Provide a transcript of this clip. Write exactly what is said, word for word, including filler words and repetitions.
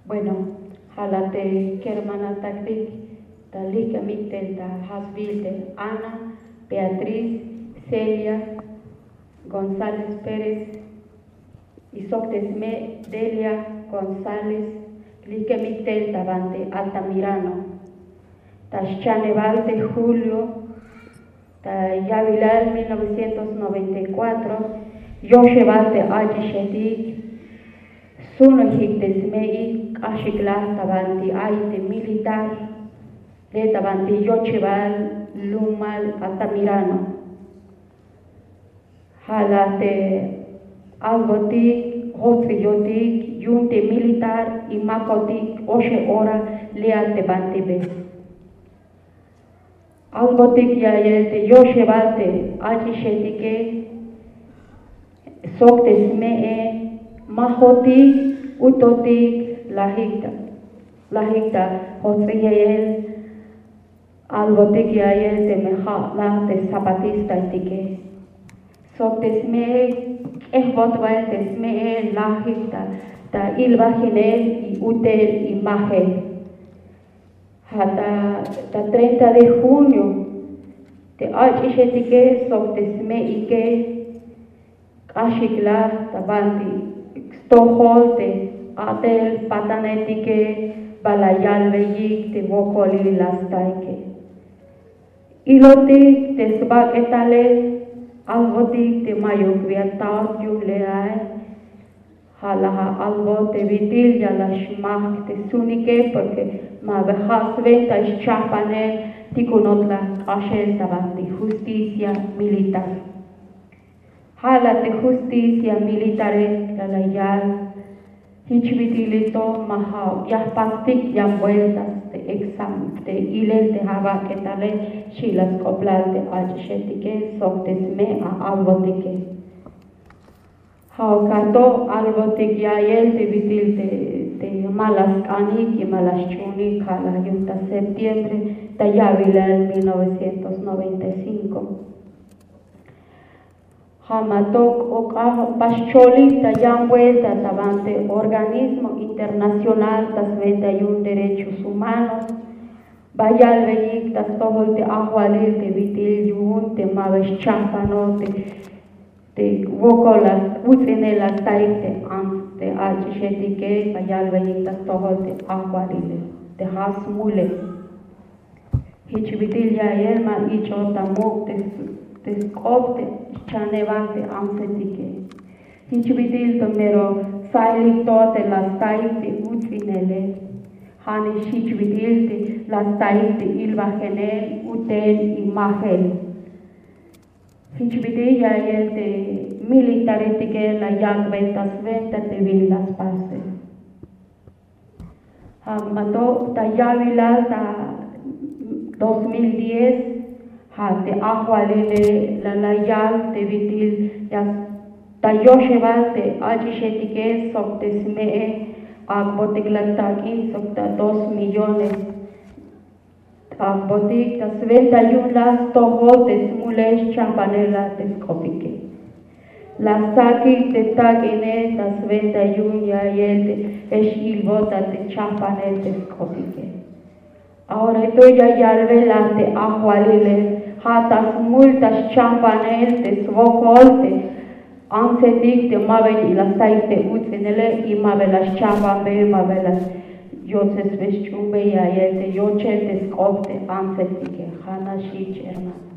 Bueno, ja' la te kermanataktik ta lijk'amik tel ta jasbil te Ana, Beatriz, Celia González Pérez, y sok te sme' Delia González, lijk'amik tel ta banti Altamirano. Ta xchanebal te julio ta ya'bilal mil novecientos noventa y cuatro, yoxebal te ach'ixetik sunojik te sme'ik k'axik la ta banti ay te militar le ta banti yochebal lumal Altamirano. Ja' la te albotik jots'iyotik yu'un te militar y makotik oxe ora le a te banti be. Albotik ya'iyel te yoxebal te ach'ixetike sok te sme'e, ma jotik utotik lajik ta, lajik ta jots'iyel. Albotik ya'iyel teme ja' la te zapatistahetike sok te sme'e, k'ejbot bael te sme'e lajik ta, ta ilbajinel y utel y majel. Ja' ta, ta treinta de junio te ach'ixetike sok te sme'ike k'axik la ta banti stojol te a'tel patanetike, ba la yalbeyik te wokolil la staike. Ilotik te sbak'etale, albotik te mayuk bi atat yu'un le ae. Ja' la ja' albot te bit'il ya la xmajk te sunike, porque ma ba ja' swenta xchajpanel tikunot la k'axel ta banti justicia militar. Ja' la te justicia militare la la yal, jich bit'il to ma ja' ya jpastik yan vueltas te examen te ilel te jabak'etale, xchi la sk'oplal te ach'ixetike sok te sme' a albotike. Ja' ok ato albotik ya'iyel te bit'il te, te ma la sk'anik y ma la xch'unik, ja' la yu'un ta septiembre ta ya'bilal mil novecientos noventa y cinco. Ja' ma to k'ok'a ba xcholik ta yan vuelta ta banti organismo internacional ta swenta yu'un derechos humanos, ba yalbeyik ta stojol te ajwalil te bit'il yu'un te ma ba xchajpanot te, te wokol la uts'inel la staik te ants te ach'ixetike, ba yalbeyik ta stojol te ajwalile te ja' smule. Jich bit'il ya'iyel ma ich'ot ta muk' te, te sk'op te xchanebal te antsetike. Jich bit'il to mero tsailik to te la staik te uts'inele. Ja' nix jich bit'il te la staik te ilbajenel, utel y majel. Jich bit'il ya'iyel te militaretike la yak'bey ta swenta te bin la spasel. Ja' ma to ta ya'bilal ta dos mil diez, ja' te ajwalile la la yal te bit'il ya ta yoxebal te ach'ixetike sok te sme'e, ak'botik la tak'in sok ta dos millones. Ak'botik ta swenta yu'un la stojol te smule xchajpanel la te sk'opike. La sakik te tak'ine ta swenta yu'un ya'iyel te x-ilbot ta te chajpanel te sk'opike. Ahora to ya yalbe la te ajwalile, ja' ta smul ta xchajpanel te swokol te antsetik te ma ba la staik te uts'inele y ma ba la xchajpanbe, ma ba la yotsesbe xch'uunbe ya'iyel te yochel te sk'op te antsetike. Ja' nax jich, hermano.